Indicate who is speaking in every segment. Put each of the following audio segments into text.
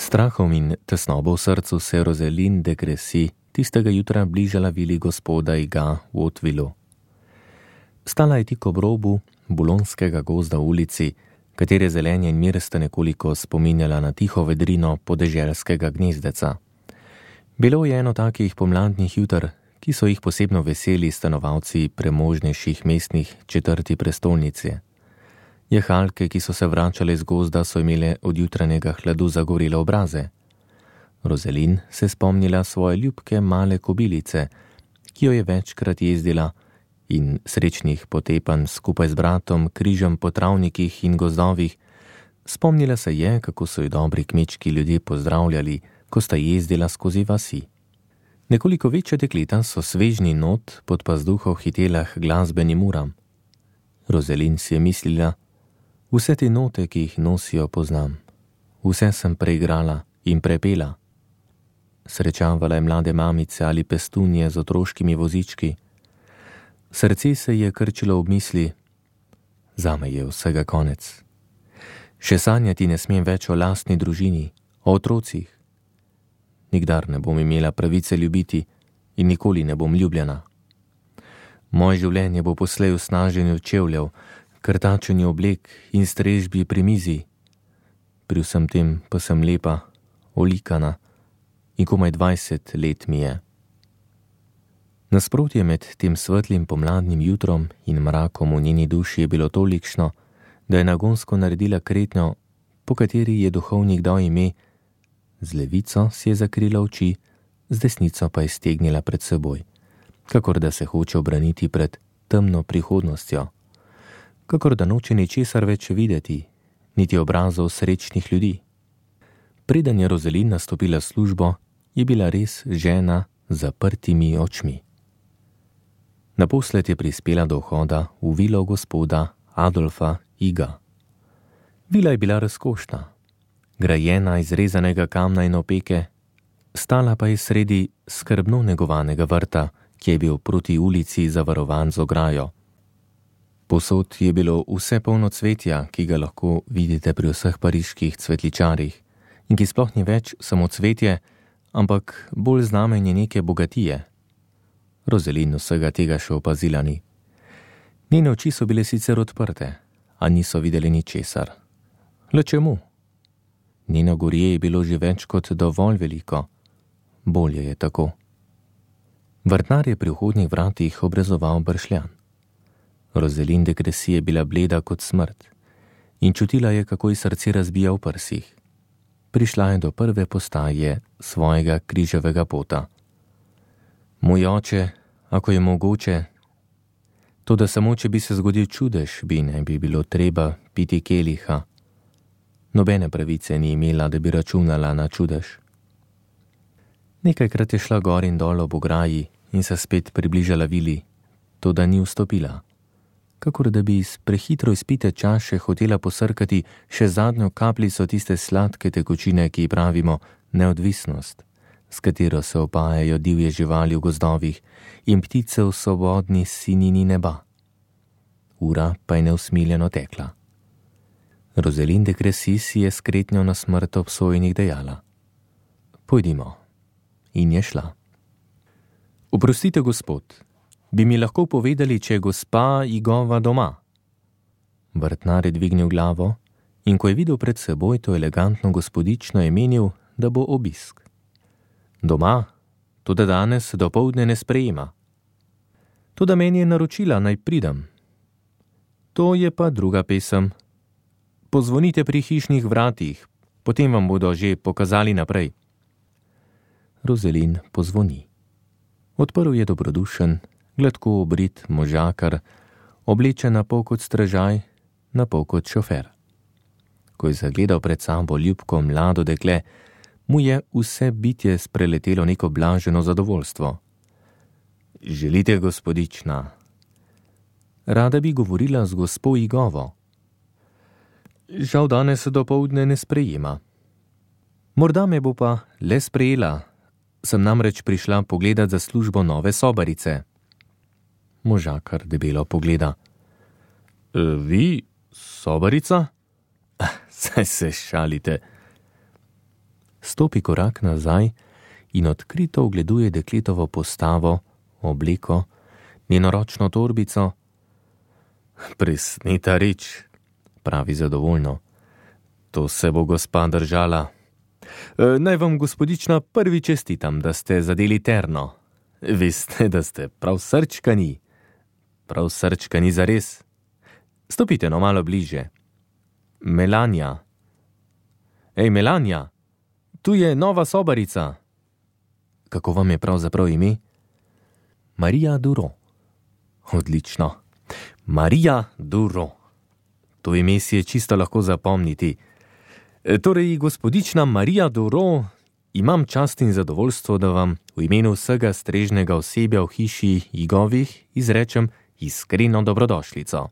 Speaker 1: strahom in tesnobo v srcu se Rosalind de Crécy tistega jutra bližala vili gospoda Iga v Hautevilleu. Stala je tik ob robu bulonskega gozda v ulici, katere zelenje in mir sta nekoliko spominjala na tiho vedrino podeželskega gnezdeca. Bilo je eno takih pomladnih jutr, ki so jih posebno veseli stanovalci premožnejših mestnih četrti prestolnice. Jahalke, ki so se vračale z gozda, so imele od jutranjega hladu zagorele obraze. Rosalind se spomnila svoje ljubke male kobilice, ki jo je večkrat jezdila, in srečnih potepanj skupaj z bratom križem po travnikih in gozdovih. Spomnila se je, kako so jo dobri kmečki ljudje pozdravljali, ko sta jezdila skozi vasi. Nekoliko večja dekleta so svežni not pod pazduho hitela k glasbenim uram. Rosalind si je mislila, vse te note, ki jih nosijo, poznam. Vse sem preigrala in prepela. Srečavala je mlade mamice ali pestunje z otroškimi vozički. Srce se je krčilo ob misli, zame je vsega konec. Še sanjati ne smem več o lastni družini, o otrocih. Nikdar ne bom imela pravice ljubiti in nikoli ne bom ljubljena. Moje življenje bo poslej v snaženju čevljev, krtačenju oblek in strežbi pri mizi. Pri vsem tem pa sem lepa, olikana in komaj 20 let mi je. Nasprotje med tem svetlim pomladnim jutrom in mrakom v njeni duši je bilo tolikšno, da je nagonsko naredila kretnjo, po kateri je duhovnik dal ime, z levico si je zakrila oči, z desnico pa je stegnila pred seboj, kakor da se hoče obraniti pred temno prihodnostjo, kakor da noče ničesar več videti, niti obrazov srečnih ljudi. Preden je Rosalind nastopila službo, je bila res žena z zaprtimi očmi. Naposled je prispela do vhoda v vilo gospoda Adolfa Iga. Vila je bila razkošna, grajena iz rezanega kamna in opeke, stala pa je sredi skrbno negovanega vrta, ki je bil proti ulici zavarovan z ograjo. Posod je bilo vse polno cvetja, ki ga lahko vidite pri vseh pariških cvetličarjih in ki sploh ni več samo cvetje, ampak bolj znamenje neke bogatije. Rosalind vsega tega še opazila ni. Njene oči so bile sicer odprte, a niso videli ničesar. Le čemu? Njeno gorje je bilo že več kot dovolj veliko. Bolje je tako. Vrtnar je pri vhodnih vratih obrezoval bršljan. Rosalind de Crécy je bila bleda kot smrt in čutila je, kako ji srce razbija v prsih. Prišla je do prve postaje svojega križevega pota. Moj oče, ako je mogoče, toda samo če bi se zgodil čudež, bi ne bi bilo treba piti keliha. Nobene pravice ni imela, da bi računala na čudež. Nekajkrat je šla gor in dol ob ograji in se spet približala vili, toda ni vstopila. Kakor da bi iz prehitro izpite čaše hotela posrkati še zadnjo kapljico tiste sladke tekočine, ki ji pravimo neodvisnost, s katero se opajajo divje živali v gozdovih in ptice v svobodni sinini neba. Ura pa je neusmiljeno tekla. Rosalind de Crécy si je s kretnjo na smrt obsojenih dejala: Pojdimo. In je šla. Oprostite, gospod, bi mi lahko povedali, če je gospa Igova doma? Vrtnar je dvignil glavo in ko je videl pred seboj to elegantno gospodično, je menil, da bo obisk. Doma, toda danes dopoldne ne sprejema. Toda meni je naročila, naj pridem. To je pa druga pesem. Pozvonite pri hišnih vratih, potem vam bodo že pokazali naprej. Rosalind pozvoni. Odprl je dobrodušen, gladko obrit možakar, oblečen na pol kot stražaj, na pol kot šofer. Ko je zagledal pred sabo ljubko mlado dekle, mu je vse bitje spreletelo neko blaženo zadovoljstvo. Želite, gospodična? Rada bi govorila z gospo Igovo. Žal danes dopoldne ne sprejema. Morda me bo pa le sprejela. Sem namreč prišla pogledat za službo nove sobarice. Možakar debelo pogleda. Vi, sobarica? Saj se šalite. Stopi korak nazaj in odkrito ogleduje dekletovo postavo, obleko, njeno ročno torbico. Presneta reč, pravi zadovoljno. To se bo gospa držala. Naj vam, gospodična, prvi čestitam, da ste zadeli terno. Veste, da ste prav srčkani. Prav srčkani zares. Stopite no malo bliže. Melania. Ej, Melania, tu je nova sobarica. Kako vam je pravzaprav ime? Marija Duro. Odlično. Marija Duro. To ime si je čisto lahko zapomniti. Torej, gospodična Marija Duro, imam čast in zadovoljstvo, da vam v imenu vsega strežnega osebja v hiši Igovih izrečem iskreno dobrodošlico.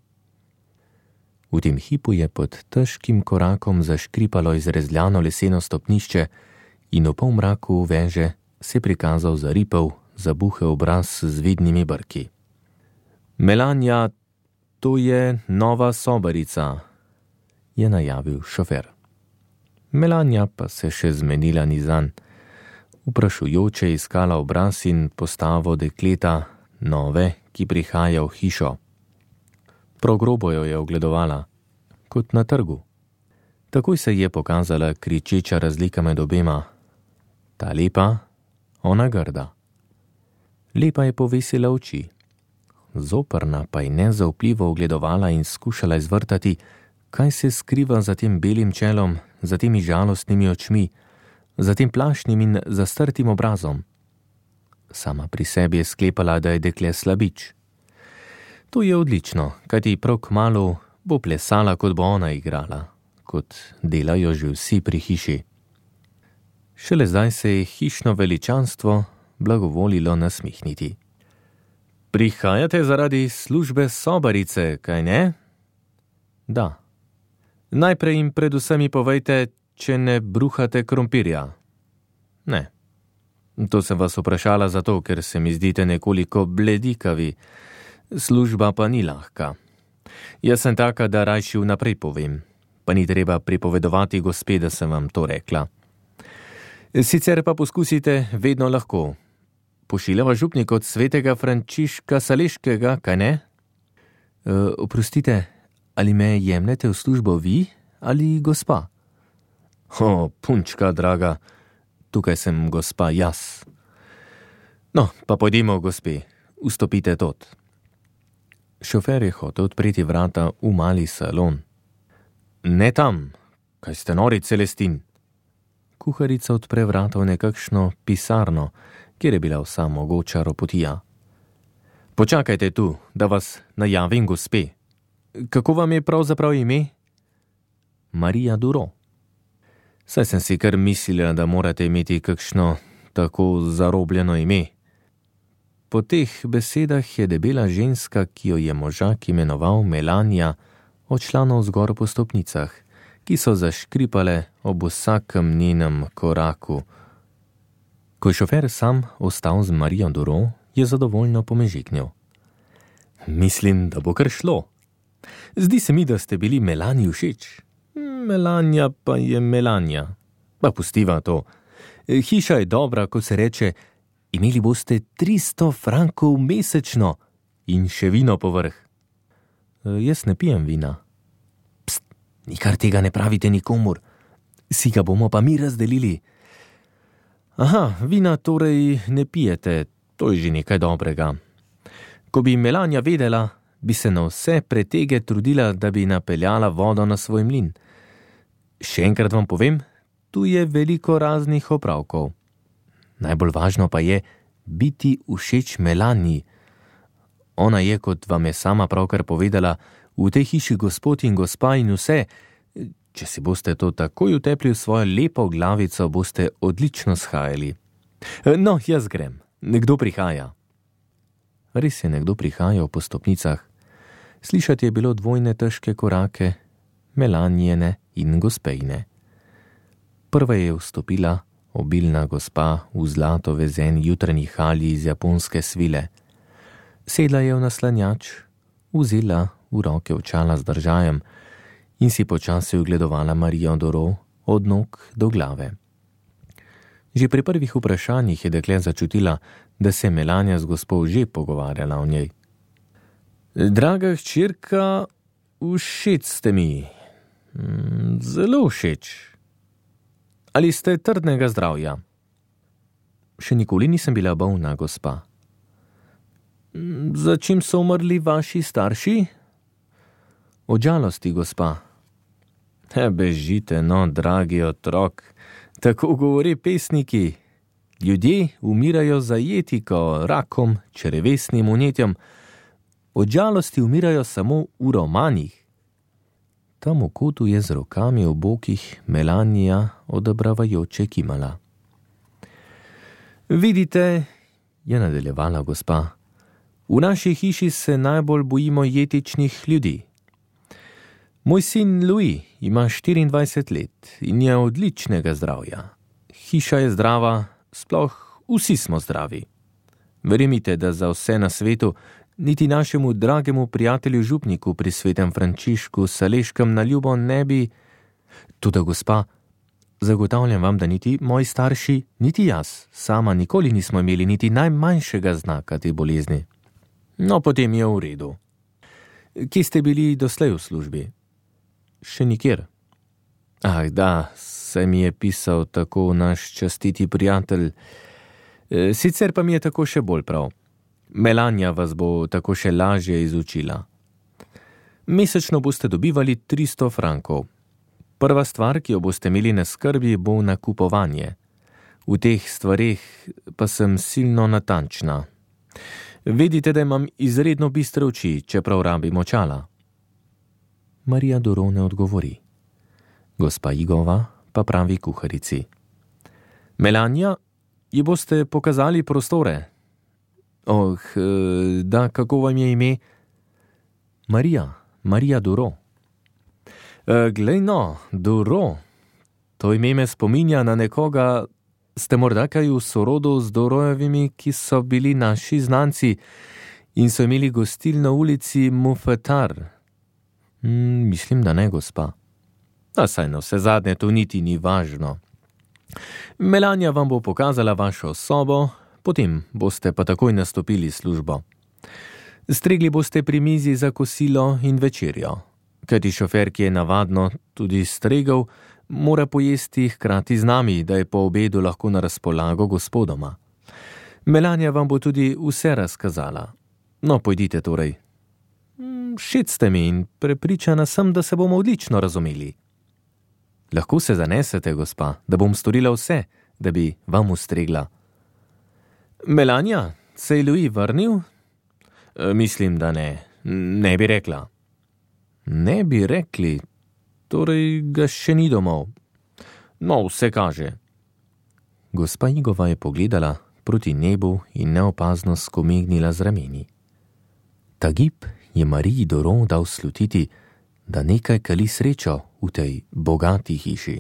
Speaker 1: V tem hipu je pod težkim korakom zaškripalo izrezljano leseno stopnišče in v polmraku veže se prikazal zaripel, zabuhel obraz z vidnimi brki. Melania, to je nova sobarica, je najavil šofer. Melania pa se še zmenila ni zanj. Vprašujoče iskala obraz in postavo dekleta, nove, ki prihaja v hišo. Prav grobo jo je ogledovala, kot na trgu. Takoj se je pokazala kričeča razlika med obema. Ta lepa, ona grda. Lepa je povesila oči. Zoprna pa je nezaupljivo ogledovala in skušala izvrtati, kaj se skriva za tem belim čelom, za temi žalostnimi očmi, za tem plašnim in zastrtim obrazom. Sama pri sebi je sklepala, da je dekle slabič. To je odlično, kajti prav kmalu bo plesala, kot bo ona igrala, kot delajo že vsi pri hiši. Šele zdaj se je hišno veličanstvo blagovolilo nasmihniti. Prihajate zaradi službe sobarice, kaj ne? Da. Najprej jim predvsem mi povejte, če ne bruhate krompirja. Ne. To sem vas vprašala zato, ker se mi zdite nekoliko bledikavi. Služba pa ni lahka. Jaz sem taka, da rajši vnaprej povem. Pa ni treba pripovedovati gospe, da sem vam to rekla. Sicer pa poskusite vedno lahko. Pošiljava župnik od svetega Frančiška Saleškega, kaj ne? Oprostite, ali me jemljete v službo vi ali gospa? Punčka, draga, tukaj sem gospa jaz. No, pa pojdimo, gospe, vstopite tot. Šofer je hotel odpreti vrata v mali salon. Ne tam, kaj ste nori, Celestin? Kuharica odpre vrata v nekakšno pisarno, kjer je bila vsa mogoča ropotija. Počakajte tu, da vas najavim, gospe. Kako vam je pravzaprav ime? Marija Duro. Saj sem si kar mislila, da morate imeti kakšno tako zarobljeno ime. Po teh besedah je debela ženska, ki jo je možak imenoval Melania, odšla navzgor po stopnicah, ki so zaškripale ob vsakem njenem koraku. Ko je šofer sam ostal z Marijo Duro, je zadovoljno pomežiknil. Mislim, da bo kar šlo. Zdi se mi, da ste bili Melani všeč. Melania pa je Melania. Pa pustiva to. Hiša je dobra, ko se reče, imeli boste 300 frankov mesečno in še vino povrh. Jaz ne pijem vina. Pst, nikar tega ne pravite nikomur. Si ga bomo pa mi razdelili. Aha, vina torej ne pijete, to je že nekaj dobrega. Ko bi Melania vedela, bi se na vse pretege trudila, da bi napeljala vodo na svoj mlin. Še enkrat vam povem, tu je veliko raznih opravkov. Najbolj važno pa je biti všeč Melanii. Ona je, kot vam je sama pravkar povedala, v tej hiši gospod in gospa in vse. Če si boste to takoj utepli v svojo lepo glavico, boste odlično shajali. No, jaz grem. Nekdo prihaja. Res je nekdo prihajal po stopnicah. Slišati je bilo dvojne težke korake, Melanijine in gospejne. Prva je vstopila obilna gospa v zlato vezeni jutranji halji iz japonske svile. Sedla je v naslanjač, vzela v roke očala z držajem in si počasi ogledovala Marijo Duro od nog do glave. Že pri prvih vprašanjih je dekle začutila, da se je Melania z gospo že pogovarjala o njej. Draga hčerka, všeč ste mi. Zelo všeč. Ali ste trdnega zdravja? Še nikoli nisem bila bolna, gospa. Za čim so umrli vaši starši? Od žalosti, gospa. Bežite, no, dragi otrok. Tako govori pesniki. Ljudje umirajo za jetiko, rakom, črevesnim vnetjem. Od žalosti umirajo samo v romanih. Tam v kotu je z rokami v bokih Melania odobravajoče kimala. Vidite, je nadaljevala gospa, v naši hiši se najbolj bojimo jetičnih ljudi. Moj sin Louis ima 24 let in je odličnega zdravja. Hiša je zdrava, sploh vsi smo zdravi. Verjemite, da za vse na svetu niti našemu dragemu prijatelju župniku pri svetem Frančišku Saleškem na ljubo ne bi... Toda gospa, zagotavljam vam, da niti moji starši, niti jaz, sama nikoli nismo imeli niti najmanjšega znaka te bolezni. No, potem je v redu. Kje ste bili doslej v službi? Še nikjer. Da, se mi je pisal tako naš častiti prijatelj. Sicer pa mi je tako še bolj prav. Melania vas bo tako še lažje izučila. Mesečno boste dobivali 300 frankov. Prva stvar, ki jo boste imeli na skrbi, bo nakupovanje. V teh stvareh pa sem silno natančna. Vedite, da imam izredno bistre oči, čeprav rabim očala. Marija Doro ne odgovori. Gospa Igova pa pravi kuharici. Melania, ji boste pokazali prostore? Da, kako vam je ime? Marija Doro. Glej no, Doro. To ime me spominja na nekoga, ste morda kaj v sorodu z Dorojevimi, ki so bili naši znanci in so imeli gostilno v ulici Mouffetard. Mislim, da ne, gospa. Saj na vse zadnje to niti ni važno. Melania vam bo pokazala vašo sobo, potem boste pa takoj nastopili službo. Stregli boste pri mizi za kosilo in večerjo. Kajti šofer, ki je navadno tudi stregel, mora pojesti hkrati z nami, da je po obedu lahko na razpolago gospodoma. Melania vam bo tudi vse razkazala. No, pojdite torej. Všeč ste mi in prepričana sem, da se bomo odlično razumeli. Lahko se zanesete, gospa, da bom storila vse, da bi vam ustregla. Melania, se je Louis vrnil? Mislim, da ne. Ne bi rekla. Ne bi rekli, torej ga še ni domov. No, vse kaže. Gospa Igova je pogledala proti nebu in neopazno skomignila z rameni. Ta gib je Mariji Doro dal slutiti, da nekaj kali srečo v tej bogati hiši.